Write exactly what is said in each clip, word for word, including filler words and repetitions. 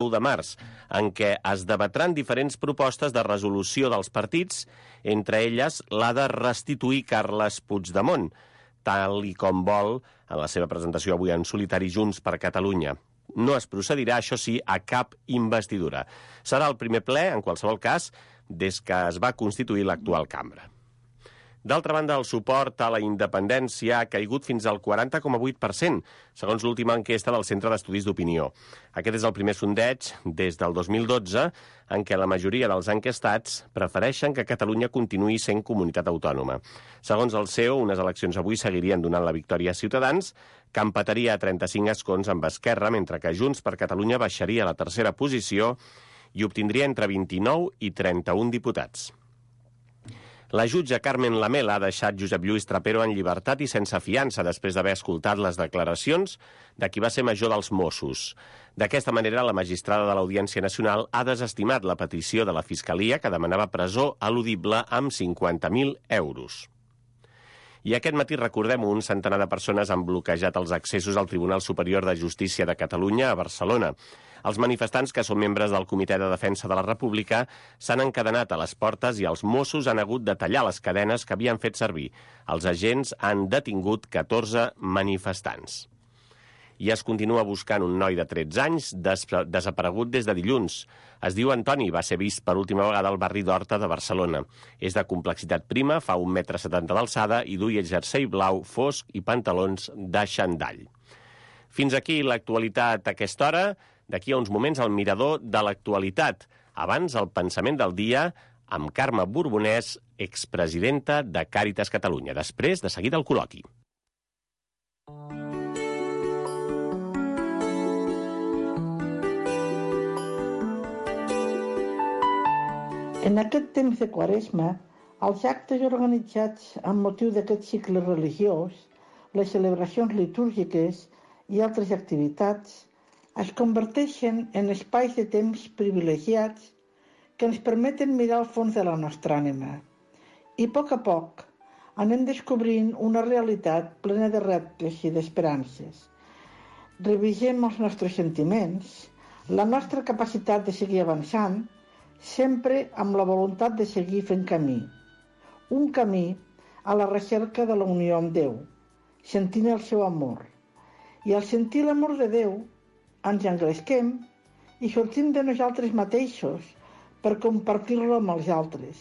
u de març, en què es debatran diferents propostes de resolució dels partits, entre elles la de restituir Carles Puigdemont, tal i com vol en la seva presentació avui en solitari Junts per Catalunya. No es procedirà, això sí, a cap investidura. Serà el primer ple, en qualsevol cas, des que es va constituir l'actual cambra. D'altra banda, el suport a la independència ha caigut fins al quaranta coma vuit per cent, segons l'última enquesta del Centre d'Estudis d'Opinió. Aquest és el primer sondeig des del dos mil dotze en què la majoria dels enquestats prefereixen que Catalunya continuï sent comunitat autònoma. Segons el C E O, unes eleccions avui seguirien donant la victòria a Ciutadans, que empataria a trenta-cinc escons amb Esquerra, mentre que Junts per Catalunya baixaria a la tercera posició i obtindria entre vint-i-nou i trenta-un diputats. La jutge Carmen Lamela ha deixat Josep Lluís Trapero en llibertat i sense fiança després d'haver escoltat les declaracions de qui va ser major dels Mossos. D'aquesta manera, la magistrada de l'Audiència Nacional ha desestimat la petició de la Fiscalia que demanava presó eludible amb cinquanta mil euros. I aquest matí, recordem, un centenar de persones han bloquejat els accessos al Tribunal Superior de Justícia de Catalunya a Barcelona. Els manifestants, que són membres del Comitè de Defensa de la República, s'han encadenat a les portes i els Mossos han hagut de tallar les cadenes que havien fet servir. Els agents han detingut catorze manifestants. I es continua buscant un noi de tretze anys des desaparegut des de dilluns. Es diu Antoni, va ser vist per última vegada al barri d'Horta de Barcelona. És de complexitat prima, fa un metre setanta d'alçada i duia jersei blau fosc i pantalons de xandall. Fins aquí l'actualitat a aquesta hora. D'aquí a uns moments el mirador de l'actualitat. Abans el pensament del dia amb Carme Borbonès, expresidenta de Càritas Catalunya. Després, de seguida, el col·loqui. En aquest temps de Quaresma, els actes organitzats amb motiu d'aquest cicle religiós, les celebracions litúrgiques i altres activitats es converteixen en espais de temps privilegiats que ens permeten mirar al fons de la nostra ànima. I a poc a poc anem descobrint una realitat plena de reptes i d'esperances. Revisem els nostres sentiments, la nostra capacitat de seguir avançant, sempre amb la voluntat de seguir fent camí. Un camí a la recerca de la unió amb Déu, sentint el seu amor. I al sentir l'amor de Déu, ens engresquem i sortim de nosaltres mateixos per compartir-lo amb els altres.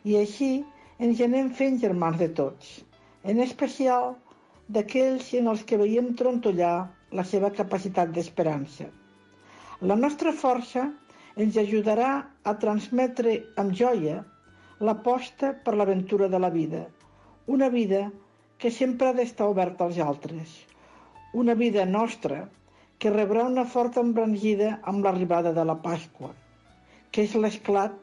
I així ens anem fent germans de tots, en especial d'aquells en els que veiem trontollar la seva capacitat d'esperança. La nostra força ens ajudarà a transmetre amb joia l'aposta per l'aventura de la vida, una vida que sempre ha d'estar oberta als altres, una vida nostra que rebrà una forta embranzida amb l'arribada de la Pasqua, que és l'esclat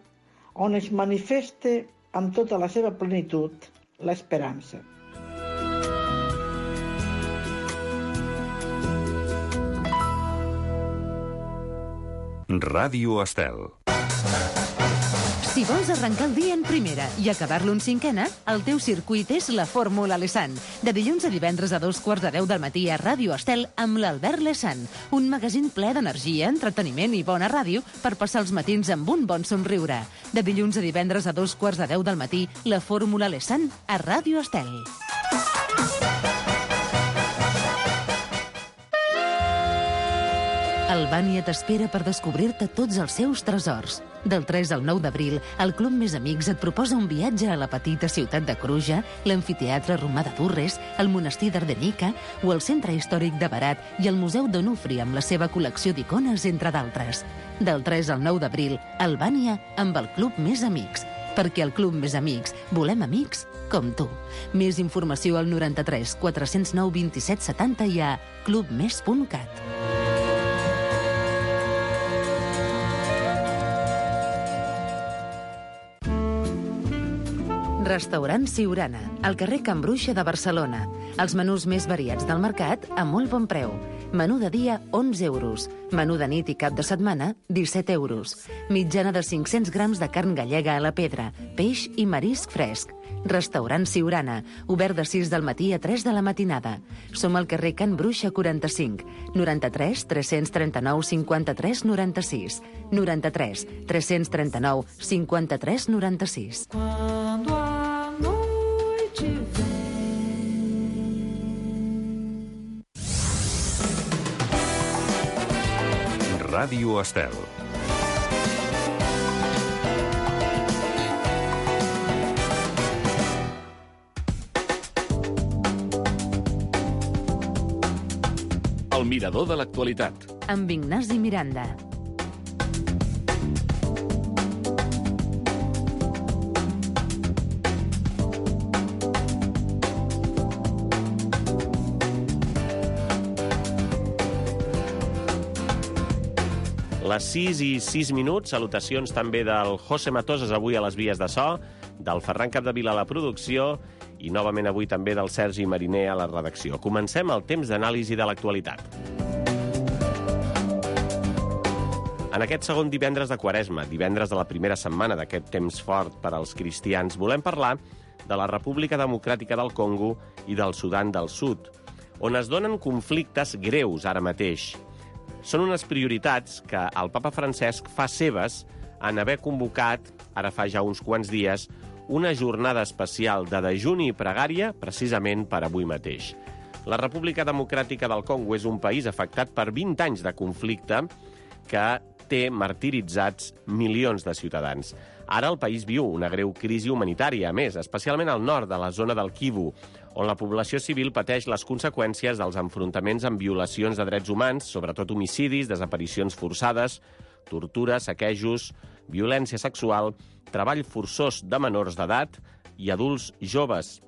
on es manifesta amb tota la seva plenitud l'esperança. Ràdio Estel. Si vols arrencar el dia en primera i acabar-lo en cinquena, el teu circuit és la Fórmula Lesan. De dilluns a divendres a dos quarts de deu del matí a Ràdio Estel amb l'Albert Lesan. Un magazín ple d'energia, entreteniment i bona ràdio per passar els matins amb un bon somriure. De dilluns a divendres a dos quarts de deu del matí, la Fórmula Lesan a Ràdio Estel. Albània t'espera per descobrir-te tots els seus tresors. Del tres al nou d'abril, el Club Més Amics et proposa un viatge a la petita ciutat de Cruja, l'amfiteatre romà de Durres, el monestir d'Ardenica o el centre històric de Berat i el Museu d'Onufri amb la seva col·lecció d'icones, entre d'altres. Del tres al nou d'abril, Albània amb el Club Més Amics. Perquè al Club Més Amics volem amics com tu. Més informació al noranta-tres quatre-cents nou vint-i-set setanta i a clubmes punt cat. Restaurant Siurana, al carrer Can Bruixa de Barcelona. Els menús més variats del mercat a molt bon preu. Menú de dia, onze euros. Menú de nit i cap de setmana, disset euros. Mitjana de cinc-cents grams de carn gallega a la pedra, peix i marisc fresc. Restaurant Siurana, obert de sis del matí a tres de la matinada. Som al carrer Can Bruixa quaranta-cinc, noranta-tres tres-cents trenta-nou cinquanta-tres noranta-sis, noranta-tres tres-cents trenta-nou cinquanta-tres noranta-sis. Quando a noite vem. Ràdio Estel. El mirador de l'actualitat. Amb Ignasi Miranda. Les sis i sis minuts, salutacions també del José Matoses avui a les vies de so, del Ferran Capdevila a la producció i novament avui també del Sergi Mariner a la redacció. Comencem el temps d'anàlisi de l'actualitat. En aquest segon divendres de Quaresma, divendres de la primera setmana d'aquest temps fort per als cristians, volem parlar de la República Democràtica del Congo i del Sudan del Sud, on es donen conflictes greus ara mateix. Són unes prioritats que el papa Francesc fa seves en haver convocat, ara fa ja uns quants dies, una jornada especial de dejuni i pregària precisament per avui mateix. La República Democràtica del Congo és un país afectat per vint anys de conflicte que té martiritzats milions de ciutadans. Ara el país viu una greu crisi humanitària, a més, especialment al nord de la zona del Kivu, on la població civil pateix les conseqüències dels enfrontaments amb violacions de drets humans, sobretot homicidis, desaparicions forçades, tortura, saquejos, violència sexual, treball forçós de menors d'edat i adults joves.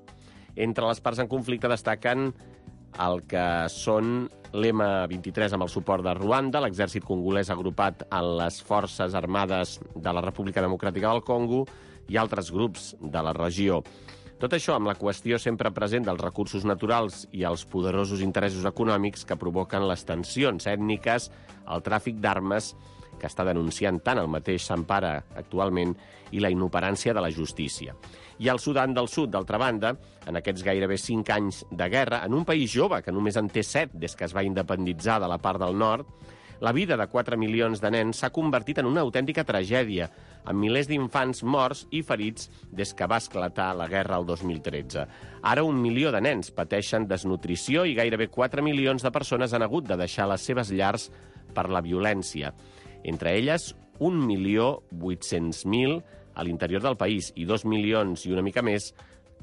Entre les parts en conflicte destaquen el que són l'M vint-i-tres amb el suport de Ruanda, l'exèrcit congolès agrupat en les forces armades de la República Democràtica del Congo i altres grups de la regió. Tot això amb la qüestió sempre present dels recursos naturals i els poderosos interessos econòmics que provoquen les tensions ètniques, el tràfic d'armes, que està denunciant tant el mateix Sampara actualment, i la inoperància de la justícia. I el Sudan del Sud, d'altra banda, en aquests gairebé cinc anys de guerra, en un país jove que només en té set des que es va independitzar de la part del nord, la vida de quatre milions de nens s'ha convertit en una autèntica tragèdia, amb milers d'infants morts i ferits des que va esclatar la guerra el dos mil tretze. Ara un milió de nens pateixen desnutrició i gairebé quatre milions de persones han hagut de deixar les seves llars per la violència. Entre elles, un milió vuit-cents mil a l'interior del país i dos milions i una mica més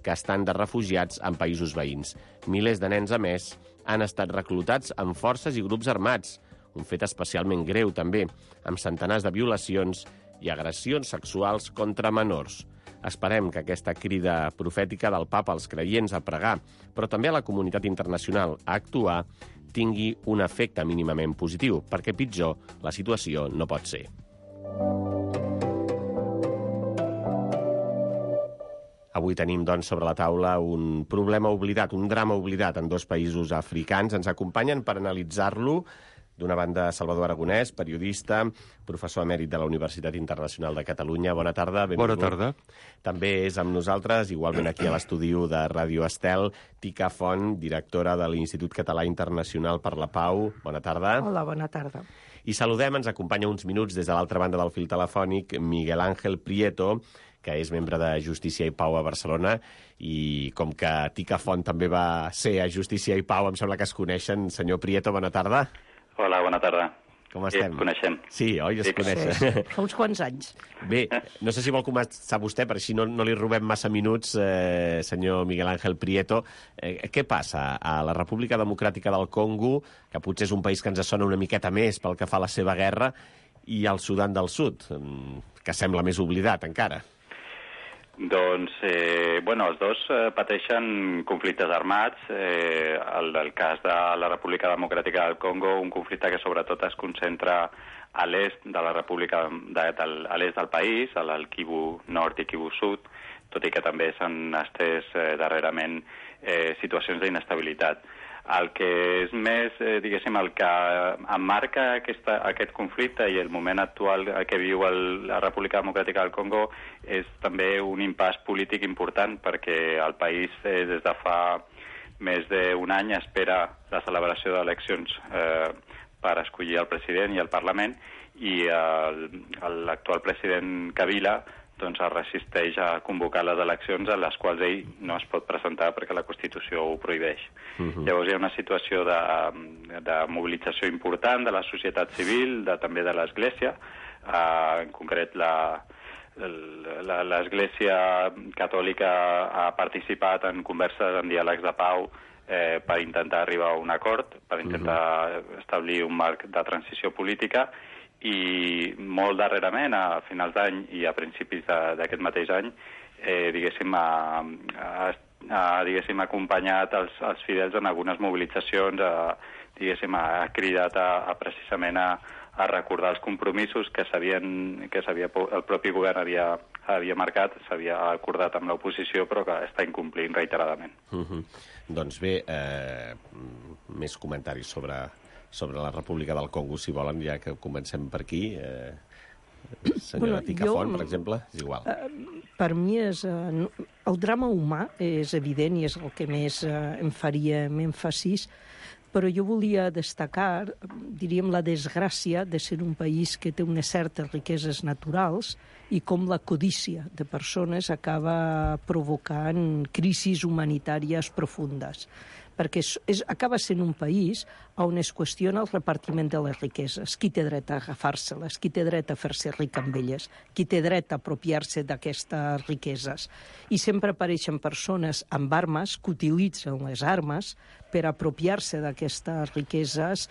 que estan de refugiats en països veïns. Milers de nens, a més, han estat reclutats en forces i grups armats, un fet especialment greu, també, amb centenars de violacions i agressions sexuals contra menors. Esperem que aquesta crida profètica del papa als creients a pregar, però també a la comunitat internacional a actuar, tingui un efecte mínimament positiu, perquè pitjor la situació no pot ser. Avui tenim, doncs, sobre la taula un problema oblidat, un drama oblidat en dos països africans. Ens acompanyen per analitzar-lo d'una banda Salvador Aragonès, periodista, professor emèrit de la Universitat Internacional de Catalunya. Bona tarda. Bona tarda. També és amb nosaltres, igualment aquí a l'estudi de Ràdio Estel, Tica Font, directora de l'Institut Català Internacional per la Pau. Bona tarda. Hola, bona tarda. I saludem, ens acompanya uns minuts des de l'altra banda del fil telefònic, Miguel Ángel Prieto, que és membre de Justícia i Pau a Barcelona, i com que Tica Font també va ser a Justícia i Pau, em sembla que es coneixen. Senyor Prieto, bona tarda. Hola, bona tarda. Com estem? Sí, coneixem. Sí, oi? Es Sí, coneixen. Sí, fa uns quants anys. Bé, no sé si vol començar vostè, per així no, no li robem massa minuts, eh, senyor Miguel Ángel Prieto. Eh, què passa a la República Democràtica del Congo, que potser és un país que ens sona una miqueta més pel que fa a la seva guerra, i al Sudan del Sud, que sembla més oblidat encara? Doncs, eh, bueno, els dos eh, pateixen conflictes armats. Eh, el del cas de la República Democràtica del Congo, un conflicte que sobretot es concentra a l'est de la República, de, del, a l'est del país, al Kivu Nord i Kivu Sud, tot i que també s'han estès eh, darrerament eh, situacions d'inestabilitat. El que és més, eh, diguéssim, el que emmarca aquesta, aquest conflicte i el moment actual que viu el, la República Democràtica del Congo és també un impàs polític important, perquè el país eh, des de fa més d'un any espera la celebració d'eleccions eh, per escollir el president i el Parlament, i l'actual president Kabila doncs es resisteix a convocar les eleccions a les quals ell no es pot presentar perquè la Constitució ho prohibeix. Uh-huh. Llavors hi ha una situació de, de mobilització important de la societat civil, de, també de l'Església, uh, en concret la, la, l'Església Catòlica ha participat en converses, en diàlegs de pau eh, per intentar arribar a un acord, per intentar uh-huh. establir un marc de transició política, i molt darrerament, a finals d'any i a principis d'aquest mateix any, eh, diguéssim, ha, ha, ha diguéssim, acompanyat els, els fidels en algunes mobilitzacions, ha, diguéssim, ha cridat a, a precisament a, a recordar els compromisos que s'havien, que s'havia, el propi govern havia, havia marcat, s'havia acordat amb l'oposició, però que està incomplint reiteradament. Uh-huh. Doncs bé, eh, més comentaris sobre... sobre la República del Congo, si volen, ja que comencem per aquí. Eh, senyora bueno, Picafont, jo, per exemple, és igual. Eh, per mi és... Eh, el drama humà és evident i és el que més eh, em faria èmfasis, però jo volia destacar, diríem, la desgràcia de ser un país que té unes certes riqueses naturals i com la codícia de persones acaba provocant crisis humanitàries profundes. Perquè és, és, acaba sent un país on es qüestiona el repartiment de les riqueses. Qui té dret a agafar-se-les? Qui té dret a fer-se ric amb elles? Qui té dret a apropiar-se d'aquestes riqueses? I sempre apareixen persones amb armes que utilitzen les armes per apropiar-se d'aquestes riqueses,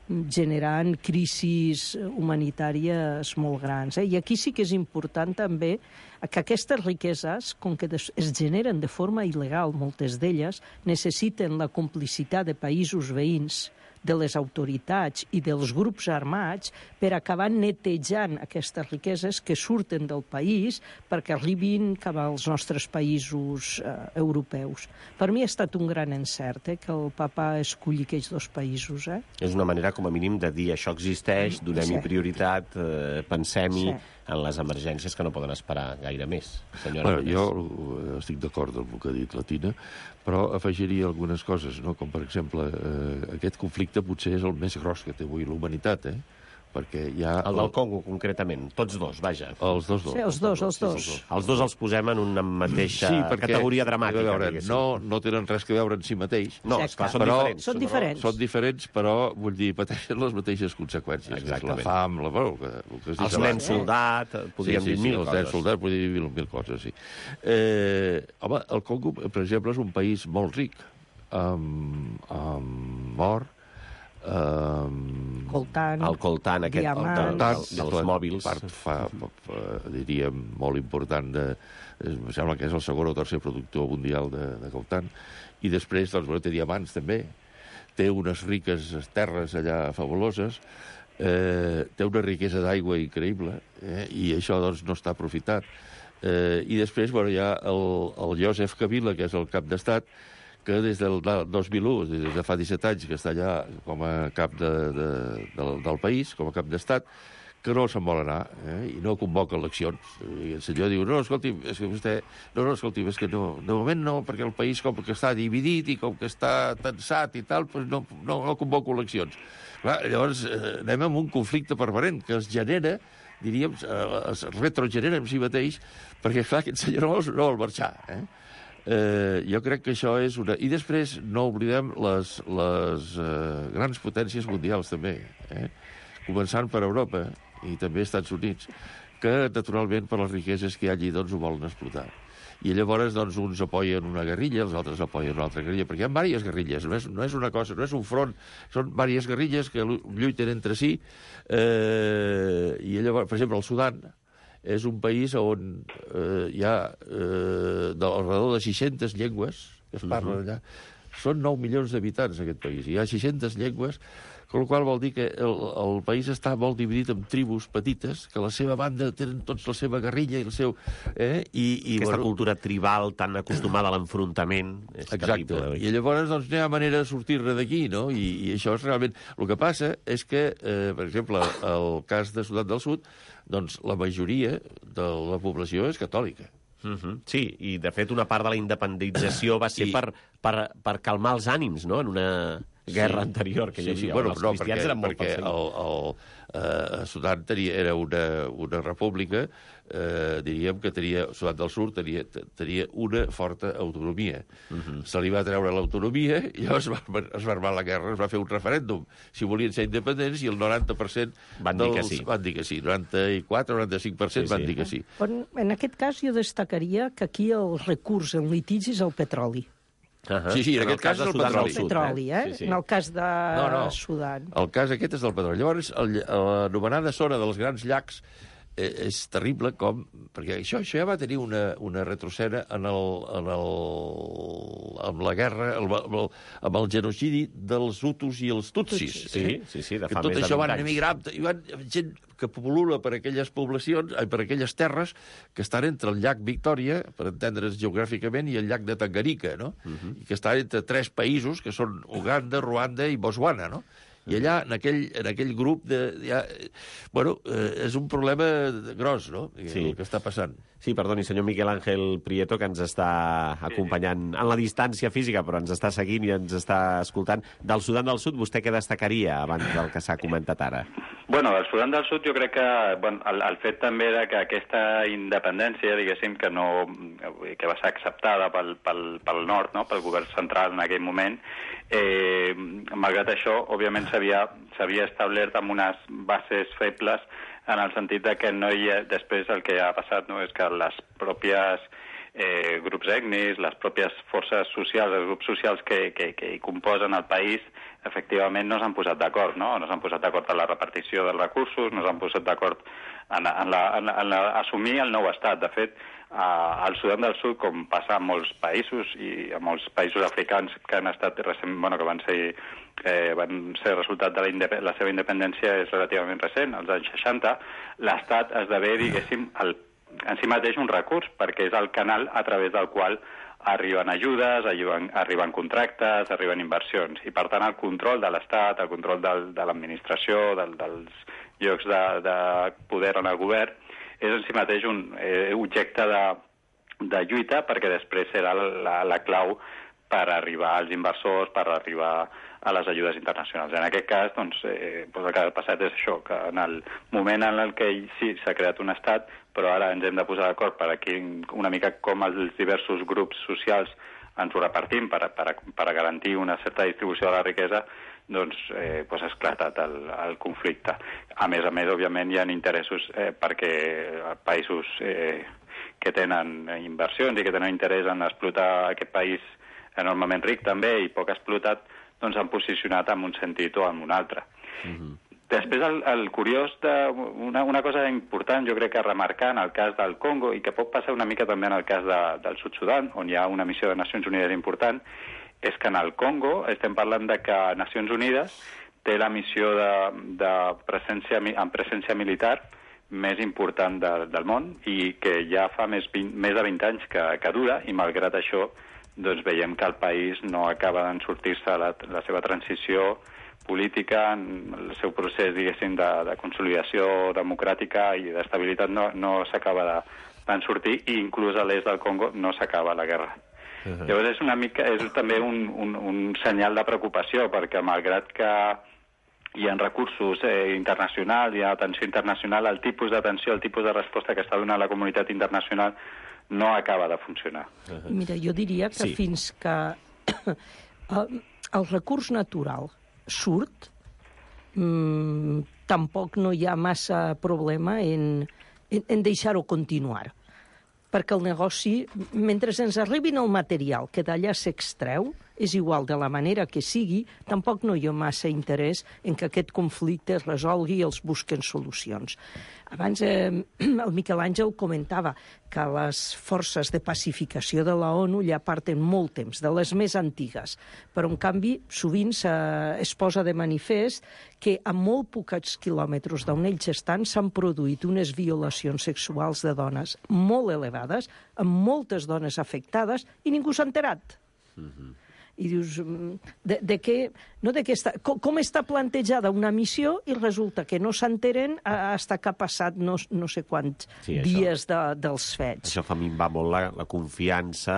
generant crisis humanitàries molt grans. Eh? I aquí sí que és important també que aquestes riqueses, com que es generen de forma il·legal, moltes d'elles, necessiten la complicitat de països veïns, de les autoritats i dels grups armats per acabar netejant aquestes riqueses que surten del país perquè arribin cap als nostres països eh, europeus. Per mi ha estat un gran encert eh, que el papa esculli aquests dos països. Eh? És una manera, com a mínim, de dir això existeix, donem-hi sí. prioritat, eh, pensem-hi sí. en les emergències que no poden esperar gaire més. Senyora bueno, jo estic d'acord amb el que ha dit la Tina, però afegiria algunes coses, no? Com per exemple, eh, aquest conflicte potser és el més gros que té avui la humanitat, eh? Perquè hi ha... El del Congo, concretament. Tots dos, vaja. Els dos, dos. Sí, els dos, els dos. Sí, els dos els posem en una mateixa sí, perquè, categoria dramàtica. Veure, no, no tenen res que veure en si mateix. No, esclar, són però, diferents. Són diferents. Són diferents, però, vull dir, pateixen les mateixes conseqüències. Exactament. La fam, la... Bueno, el que, el que els nens eh? soldat, podríem sí, sí, dir mil sí, coses. Els nens soldat, podríem dir mil, mil coses, sí. Eh, home, el Congo, per exemple, és un país molt ric, amb, amb or, Um, coltant, el coltant aquest diamants, el, el, dels la mòbils part fa, fa, fa, diríem molt important de, em sembla que és el segon o tercer productor mundial de, de coltant, i després doncs, bueno, té diamants també, té unes riques terres allà fabuloses, eh, té una riquesa d'aigua increïble, eh, i això doncs, no està aprofitat. Eh, I després bueno, hi ha el, el Joseph Kabila, que és el cap d'estat, que des del dos mil u, des de fa disset anys, que està allà com a cap de, de, del, del país, com a cap d'estat, que no se'n vol anar, eh? I no convoca eleccions. I el senyor diu, no, escolti, és que vostè... No, no, escolti, és que no, de moment no, perquè el país com que està dividit i com que està tensat i tal, doncs no, no, no convoco eleccions. Clar, llavors eh, anem amb un conflicte permanent que es genera, diríem, eh, es retrogenera en si mateix, perquè, clar, aquest senyor no vol, no vol marxar, eh? Eh, jo crec que això és una... I després no oblidem les, les eh, grans potències mundials, també, eh? Començant per Europa i també Estats Units, que, naturalment, per les riqueses que hi ha allí, doncs, ho volen explotar. I llavors, doncs, uns apoyen una guerrilla, els altres apoyen una altra guerrilla, perquè hi ha diverses guerrilles, no és, no és una cosa, no és un front, són diverses guerrilles que lluiten entre si, eh, i llavors, per exemple, el Sudan, és un país on eh, hi ha eh, alrededor de seixantes llengües que es parlen allà. Són nou milions d'habitants, aquest país. Hi ha seixantes llengües Amb la qual vol dir que el, el país està molt dividit en tribus petites, que a la seva banda tenen tots la seva guerrilla i el seu... Eh? I, i, Aquesta bueno, cultura tribal tan acostumada a l'enfrontament és exacte. terrible. I llavors doncs, no hi ha manera de sortir-ne d'aquí, no? I, I això és realment... El que passa és que, eh, per exemple, el cas de Sudan del Sud, doncs la majoria de la població és catòlica. Uh -huh. Sí, i de fet una part de la independització va ser I... per, per, per calmar els ànims, no?, en una guerra sí. anterior que hi sí, havia. sí. Bueno, els no, cristians perquè, eren molt perquè el, el, eh, Sudan tenia, era una, una república, eh, diríem que tenia, Sudan del Sud tenia, tenia una forta autonomia. Uh -huh. Se li va treure l'autonomia i llavors es va, es va armar la guerra, es va fer un referèndum si volien ser independents i el noranta per cent van dels, dir que sí. Van dir que sí. noranta-quatre o noranta-cinc per cent sí, van sí. dir que sí. En, en aquest cas jo destacaria que aquí el recurs en litigi és el petroli. Uh -huh. Sí, sí, en, en aquest cas és el petroli. El petroli, eh? Sí, sí. En el cas de no, no. Sudan. El cas aquest és del petroli. Llavors, l'anomenada zona dels grans llacs eh, és terrible com... Perquè això, això ja va tenir una, una retroceda en el, en el, amb la guerra, amb el, amb el genocidi dels Hutus i els Tutsis. Sí, eh? sí, sí, de que fa tot més això de van vint anys. emigrar, i van, gent que popula per aquelles poblacions, per aquelles terres que estan entre el llac Victòria, per entendre's geogràficament, i el llac de Tanganyika, no? Uh -huh. I que estan entre tres països, que són Uganda, Ruanda i Botswana, no? I allà, en aquell, en aquell grup, de, ja, bueno, eh, és un problema gros, no?, sí. el que està passant. Sí, perdoni, senyor Miquel Ángel Prieto, que ens està acompanyant en la distància física, però ens està seguint i ens està escoltant. Del Sudan del Sud, vostè què destacaria abans del que s'ha comentat ara? Bueno, del Sudan del Sud jo crec que bueno, el, el fet també de que aquesta independència, diguéssim, que no que va ser acceptada pel, pel, pel nord, no?, pel govern central en aquell moment, eh, malgrat això, òbviament s'havia s'havia establert amb unes bases febles en el sentit de que no hi ha, després el que ha passat, no?, és que les pròpies eh, grups ètnics, les pròpies forces socials, els grups socials que, que, que hi composen el país, efectivament no s'han posat d'acord, no? No s'han posat d'acord en la repartició dels recursos, no s'han posat d'acord en, en, la, en, en la, assumir el nou estat. De fet, eh, al Sudan del Sud, com passa en molts països i en molts països africans que han estat recent, bueno, que van ser eh, van ser resultat de la, la seva independència és relativament recent, als anys seixanta, l'estat esdevé, diguéssim, el, en si mateix un recurs, perquè és el canal a través del qual arriben ajudes, arriben, arriben contractes, arriben inversions. I, per tant, el control de l'Estat, el control del, de l'administració, del, dels llocs de, de poder en el govern, és en si mateix un eh, objecte de, de lluita, perquè després serà la, la clau per arribar als inversors, per arribar a les ajudes internacionals. En aquest cas, doncs, eh, doncs el que ha passat és això, que en el moment en el que sí s'ha creat un estat, però ara ens hem de posar d'acord per aquí una mica com els diversos grups socials ens ho repartim per, per, per garantir una certa distribució de la riquesa, doncs, eh, doncs ha esclatat el, el conflicte. A més a més, òbviament, hi ha interessos eh, perquè països eh, que tenen inversions i que tenen interès en explotar aquest país enormement ric també i poc explotat, doncs han posicionat en un sentit o en un altre. Mm-hmm. Després, el, el curiós, de, una, una cosa important, jo crec que remarcar en el cas del Congo, i que pot passar una mica també en el cas de, del Sud-Sudan, on hi ha una missió de Nacions Unides important, és que en el Congo estem parlant de que Nacions Unides té la missió de, de presència, en presència militar més important de, del món i que ja fa més, vint, més de vint anys que, que dura, i malgrat això doncs veiem que el país no acaba d'en sortir-se la, la seva transició política, el seu procés, diguéssim, de, de consolidació democràtica i d'estabilitat no, no s'acaba de, d'en sortir, i inclús a l'est del Congo no s'acaba la guerra. Uh-huh. Llavors és una mica, és també un, un, un senyal de preocupació, perquè malgrat que hi ha recursos eh, internacionals, hi ha atenció internacional, el tipus d'atenció, el tipus de resposta que està donant la comunitat internacional no acaba de funcionar. Uh-huh. Mira, jo diria que sí. Fins que el, el recurs natural surt, mmm, tampoc no hi ha massa problema en, en, en deixar-ho continuar. Perquè el negoci, mentre ens arribin el material que d'allà s'extreu, és igual de la manera que sigui, tampoc no hi ha massa interès en que aquest conflicte es resolgui i els busquen solucions. Abans eh, el Miquel Àngel comentava que les forces de pacificació de la ONU ja parten molt temps, de les més antigues, però en canvi sovint es posa de manifest que a molt pocs quilòmetres d'on ells estan s'han produït unes violacions sexuals de dones molt elevades, amb moltes dones afectades, i ningú s'ha enterat. Mm-hmm. I dius, de, de què, no de què està, com, com està plantejada una missió i resulta que no s'enteren fins que ha passat no, no sé quants sí, dies de, dels fets. Això fa minvar molt la, la confiança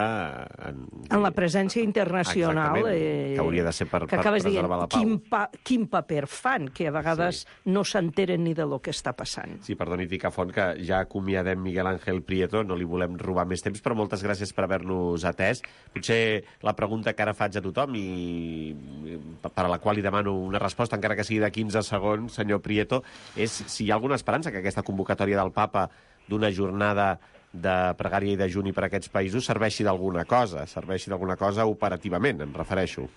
en, en la presència internacional. Eh, que hauria de ser per, per preservar dient, la pau. Quin, pa, quin paper fan, que a vegades sí. no s'enteren ni de lo que està passant. Sí, perdoni, Ticafont, que ja acomiadem Miguel Ángel Prieto, no li volem robar més temps, però moltes gràcies per haver-nos atès. Potser la pregunta que ara faig a tothom i per a la qual li demano una resposta, encara que sigui de quinze segons, senyor Prieto, és si hi ha alguna esperança que aquesta convocatòria del papa d'una jornada de pregària i de juni per a aquests països serveixi d'alguna cosa, serveixi d'alguna cosa operativament, em refereixo.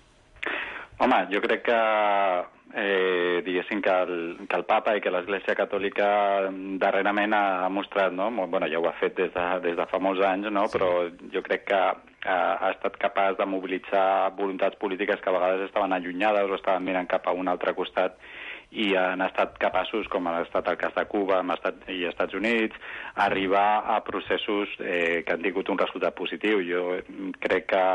Home, jo crec que eh, diguéssim que el, que el papa i que l'Església Catòlica darrerament ha mostrat, no? Bueno, ja ho ha fet des de, des de fa molts anys, no? Sí. Però jo crec que ha estat capaç de mobilitzar voluntats polítiques que a vegades estaven allunyades o estaven mirant cap a un altre costat i han estat capaços, com ha estat el cas de Cuba estat, i Estats Units, a arribar a processos eh, que han tingut un resultat positiu. Jo crec que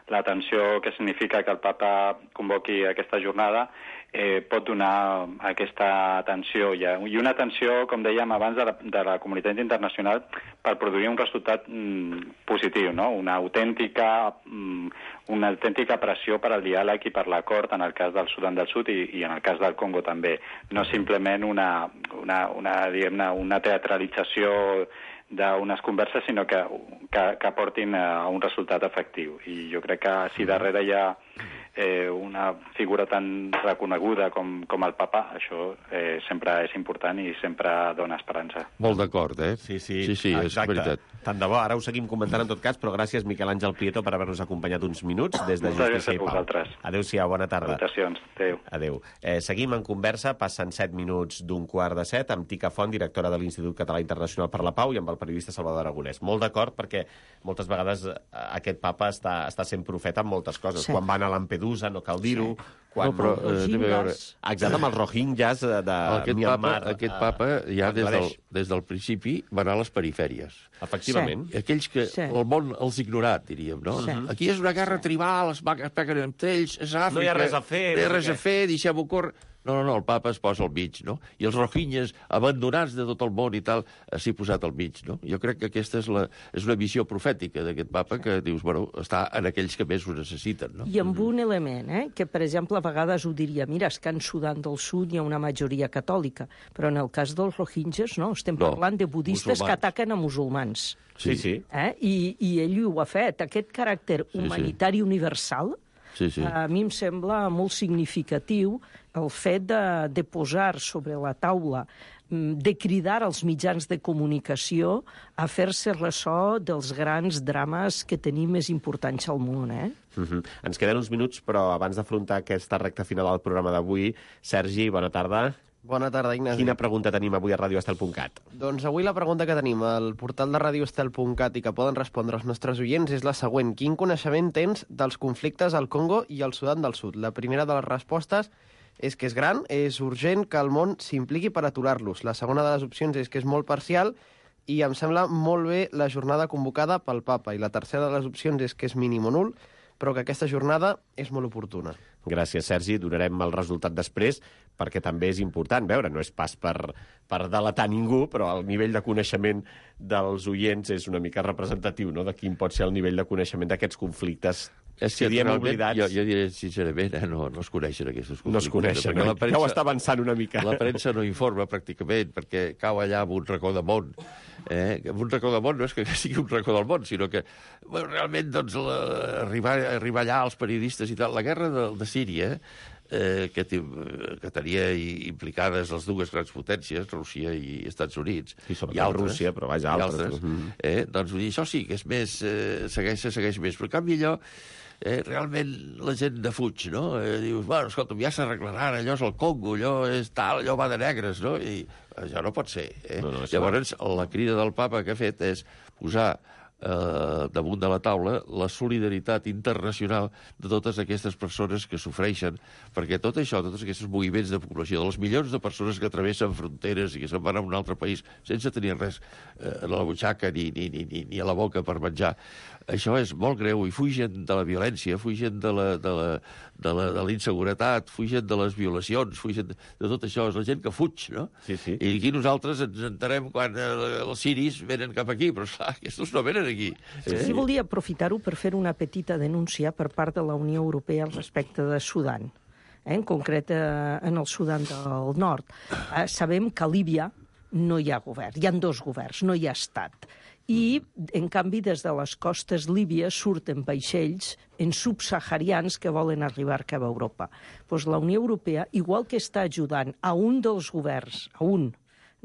l'atenció que significa que el papa convoqui aquesta jornada eh, pot donar aquesta atenció ja. I una atenció, com dèiem abans, de la, de la comunitat internacional per produir un resultat mm, positiu, no? Una autèntica, mm, una autèntica pressió per al diàleg i per l'acord en el cas del Sudan del Sud i, i en el cas del Congo també. No simplement una, una, una, diguem-ne, una teatralització d'unes converses, sinó que, que, que portin a un resultat efectiu. I jo crec que si darrere hi ha eh, una figura tan reconeguda com, com el papa, això eh, sempre és important i sempre dona esperança. Molt d'acord, eh? Sí, sí, sí, sí és veritat. Tant de bo, ara ho seguim comentant en tot cas, però gràcies, Miquel Àngel Prieto, per haver-nos acompanyat uns minuts des de Justícia i Pau. Adéu-siau, bona tarda. Salutacions, adéu. Adéu. Eh, seguim en conversa, passen set minuts d'un quart de set, amb Ticafont, directora de l'Institut Català Internacional per la Pau, i amb el periodista Salvador Aragonès. Molt d'acord, perquè moltes vegades aquest papa està, està sent profeta en moltes coses. Sí. Quan van a Lampedusa, no cal dir-ho, sí. Quan... No, però, eh, veure... Exacte, amb els rohingyas de aquest Myanmar. Papa, aquest papa ja des del, des del principi va anar a les perifèries. Efectivament. Sí. Aquells que sí. el món els ignorat, diríem, no? Sí. Aquí és una guerra tribal, es peguen entre ells, és Àfrica... No hi ha res a fer. No hi ha res a fer, deixem-ho córrer... No, no, no, el papa es posa al mig, no? I els rohingyes, abandonats de tot el món i tal, s'hi posat al mig, no? Jo crec que aquesta és, la, és una visió profètica d'aquest papa que dius, bueno, està en aquells que més ho necessiten, no? I amb un element, eh? Que, per exemple, a vegades ho diria, mira, és que en Sudan del Sud hi ha una majoria catòlica, però en el cas dels rohingyes, no, estem no, parlant de budistes musulmans. Que ataquen a musulmans. Sí, sí. Eh? I, I ell ho ha fet. Aquest caràcter sí, humanitari sí. universal, sí, sí. a mi em sembla molt significatiu el fet de, de posar sobre la taula, de cridar als mitjans de comunicació a fer-se ressò dels grans drames que tenim més importants al món, eh? Uh-huh. Ens queden uns minuts, però abans d'afrontar aquesta recta final del programa d'avui, Sergi, bona tarda. Bona tarda, Ignasi. Quina pregunta tenim avui a radio estel punt cat? Doncs avui la pregunta que tenim al portal de radio estel punt cat i que poden respondre els nostres oients és la següent. Quin coneixement tens dels conflictes al Congo i al Sudan del Sud? La primera de les respostes és que és gran, és urgent que el món s'impliqui per aturar-los. La segona de les opcions és que és molt parcial i em sembla molt bé la jornada convocada pel papa. I la tercera de les opcions és que és mínim o nul, però que aquesta jornada és molt oportuna. Gràcies, Sergi. Donarem el resultat després, perquè també és important veure, no és pas per, per delatar ningú, però el nivell de coneixement dels oients és una mica representatiu, no?, de quin pot ser el nivell de coneixement d'aquests conflictes. És que oblidats... jo, jo diré sincerament, eh, no, no es coneixen aquests conflictes. No es coneixen, no? Premsa, ja ho està avançant una mica. La premsa no informa pràcticament, perquè cau allà en un racó de món. Eh? Un racó de món no és que sigui un racó del món, sinó que bueno, realment doncs, la, arribar, arribar allà els periodistes i tal. La guerra de, de Síria eh, que, que tenia implicades les dues grans potències, Rússia i Estats Units, sí, i altres, Rússia, però vaja, altres. altres mm -hmm. eh, doncs vull dir, això sí que és més, eh, segueix, segueix més, però en canvi allò, eh, realment la gent defuig, no? Eh, dius, bueno, escolta, ja s'arreglaran, allò és el Congo, allò és tal, allò va de negres, no? I això no pot ser, eh? No, no, llavors, la crida del papa que ha fet és posar eh, damunt de la taula la solidaritat internacional de totes aquestes persones que sofreixen, perquè tot això, tots aquests moviments de població, de les milions de persones que travessen fronteres i que se'n van a un altre país sense tenir res eh, a la butxaca ni, ni, ni, ni a la boca per menjar, això és molt greu i fugen de la violència, fugen de la, de la, de la, de la inseguretat, fugen de les violacions, fugen de, de tot això. És la gent que fuig, no? Sí, sí. I aquí nosaltres ens enterem quan eh, els siris venen cap aquí, però esclar, aquests no venen aquí. Sí, eh? Sí, volia aprofitar-ho per fer una petita denúncia per part de la Unió Europea al respecte de Sudan, eh? En concret eh, en el Sudan del Nord. Eh, sabem que a Líbia no hi ha govern, hi ha dos governs, no hi ha estat. I, en canvi, des de les costes líbies surten vaixells en subsaharians que volen arribar cap a Europa. Doncs la Unió Europea, igual que està ajudant a un dels governs, a un,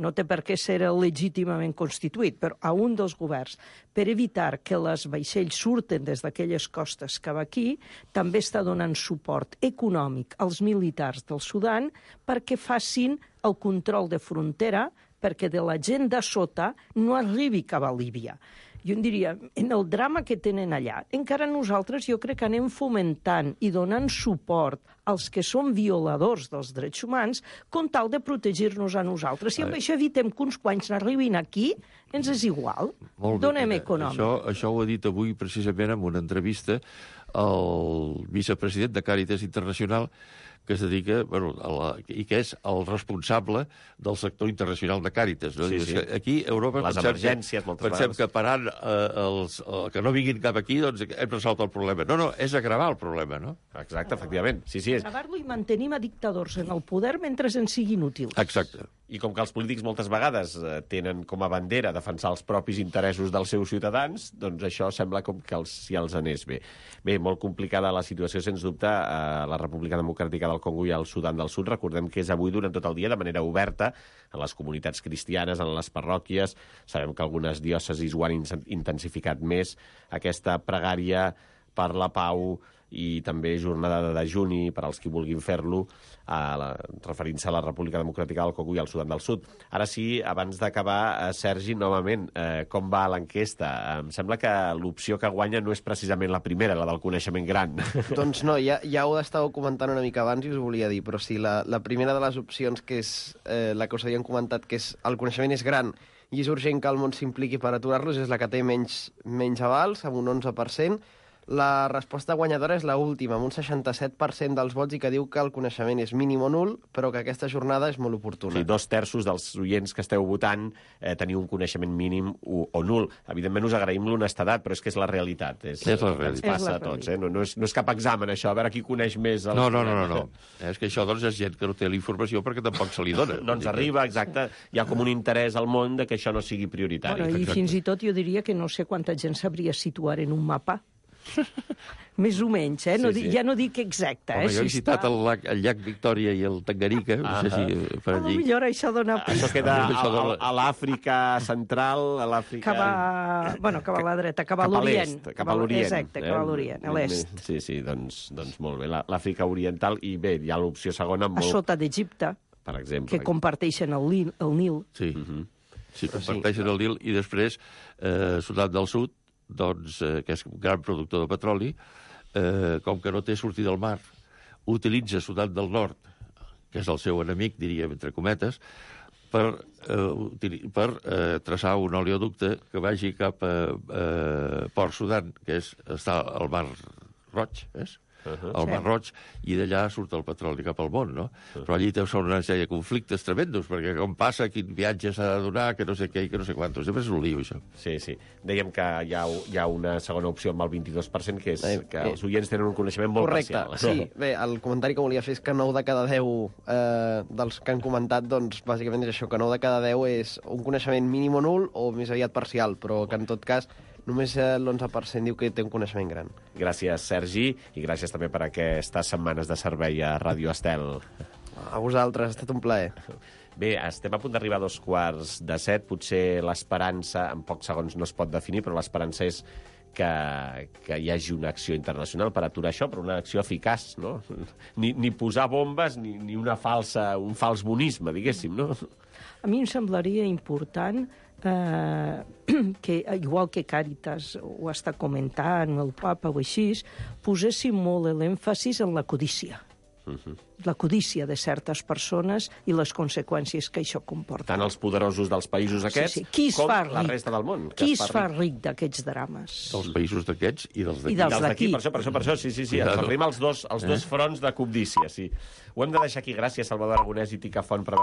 no té per què ser legítimament constituït, però a un dels governs, per evitar que les vaixells surten des d'aquelles costes cap aquí, també està donant suport econòmic als militars del Sudan perquè facin el control de frontera, perquè de la gent de sota no arribi cap a Líbia. Jo en diria, en el drama que tenen allà, encara nosaltres jo crec que anem fomentant i donant suport als que són violadors dels drets humans com tal de protegir-nos a nosaltres. Si amb això evitem que uns quants n'arribin aquí, ens és igual. Molt bé, donem mira, econòmic. Això, això ho ha dit avui precisament en una entrevista al vicepresident de Càritas Internacional, que es dedica, bueno, a la, i que és el responsable del sector internacional de Càritas. No? Sí, Dius sí. que aquí a Europa les pensem, emergències, que, moltes pensem vegades. que parant eh, els, eh, que no vinguin cap aquí, doncs hem resolt el problema. No, no, és agravar el problema, no? Exacte, efectivament. Sí, sí, és... Gravar-lo i mantenim a dictadors en el poder mentre ens siguin útils. Exacte. I com que els polítics moltes vegades eh, tenen com a bandera defensar els propis interessos dels seus ciutadans, doncs això sembla com que els, si els anés bé. Bé, molt complicada la situació, sens dubte, a la República Democràtica del Congo i al Sudan del Sud. Recordem que és avui durant tot el dia de manera oberta a les comunitats cristianes, en les parròquies. Sabem que algunes diòcesis ho han intensificat més, aquesta pregària per la pau i també jornada de dejuni per als qui vulguin fer-lo, referint-se a la República Democràtica del Congo i al Sudan del Sud. Ara sí, abans d'acabar, eh, Sergi, novament, eh, com va l'enquesta? Em sembla que l'opció que guanya no és precisament la primera, la del coneixement gran. Doncs no, ja, ja ho estàveu comentant una mica abans i us ho volia dir, però sí, la, la primera de les opcions, que és eh, la que us havien comentat, que és el coneixement és gran i és urgent que el món s'impliqui per aturar-los, és la que té menys, menys avals, amb un onze per cent. La resposta guanyadora és la última, amb un seixanta-set per cent dels vots i que diu que el coneixement és mínim o nul, però que aquesta jornada és molt oportuna. Sí, dos terços dels oients que esteu votant eh, teniu un coneixement mínim o, o nul. Evidentment us agraïm l'honestedat, però és que és la realitat. És, és la Ens realitat. passa a tots, eh? No, no, és, no és cap examen, això, a veure qui coneix més. Els... No, no, no, no, no. És que això, doncs, és gent que no té la informació perquè tampoc se li dona. No ens arriba, exacte. Hi ha com un interès al món de que això no sigui prioritari. Bueno, I Exacte. fins i tot jo diria que no sé quanta gent sabria situar en un mapa. Més o menys, eh? No Sí, sí, sí. sí. Ja no dic exacte, Home, eh? jo he Si citat està... el, llac, el llac Victòria i el Tanganyika, no sé si per A lo allí. millor això dona... Això queda a, Això a, dona- a l'Àfrica central, a l'Àfrica... Cap a... Bueno, cap a la dreta, cap a Cap a l'Orient. l'est, cap a l'Orient. Exacte, cap a l'Orient, a l'est. Sí, sí, doncs, doncs molt bé. La- L'Àfrica oriental, i bé, hi ha l'opció segona A molt... sota d'Egipte, Per exemple. que comparteixen el, Nil, el Nil. Sí, Mhm. sí, comparteixen el Nil i després eh, Sudan del Sud, doncs, eh, que és un gran productor de petroli, eh, com que no té sortida al mar, utilitza Sudan del Nord, que és el seu enemic, diríem, entre cometes, per, eh, utili- per eh, traçar un oleoducte que vagi cap a eh, Port Sudan, que és, està al Mar Roig, és? Uh-huh. al Mar Sí. Roig, i d'allà surt el petroli cap al món, no? Però allí són una sèrie de conflictes tremendos, perquè com passa, quin viatge s'ha de donar, que no sé què i que no sé quantos. Sempre és un lío, això. Sí, sí. Dèiem que hi ha, hi ha una segona opció amb el vint-i-dos per cent, que és Eh, que eh. els oients tenen un coneixement molt Correcte, parcial. sí. Bé, el comentari que volia fer és que nou de cada deu eh, dels que han comentat, doncs, bàsicament és això, que nou de cada deu és un coneixement mínim o nul o més aviat parcial, però que en tot cas només l'onze per cent diu que té un coneixement gran. Gràcies, Sergi, i gràcies també per aquestes setmanes de servei a Ràdio Estel. A vosaltres, ha estat un plaer. Bé, estem a punt d'arribar a dos quarts de set. Potser l'esperança, en pocs segons no es pot definir, però l'esperança és que, que hi hagi una acció internacional per aturar això, però una acció eficaç, no? Ni, ni posar bombes, ni, ni una falsa, un fals bonisme, diguéssim, no? A mi em semblaria important eh, que, igual que Càritas ho està comentant, el papa o així, poséssim molt l'èmfasis en la codícia. Uh-huh. La codícia de certes persones i les conseqüències que això comporta. Tant els poderosos dels països aquests sí, sí. Qui com fa la resta del món. Qui es fa ric, ric d'aquests drames? Dels països d'aquests i dels d'aquí. I dels d'aquí. Per això, per això, per això, sí, sí, sí. Ens arrima els dos, els dos fronts de cobdícia, sí. Ho hem de deixar aquí. Gràcies, Salvador Aragonès i Tica Font, per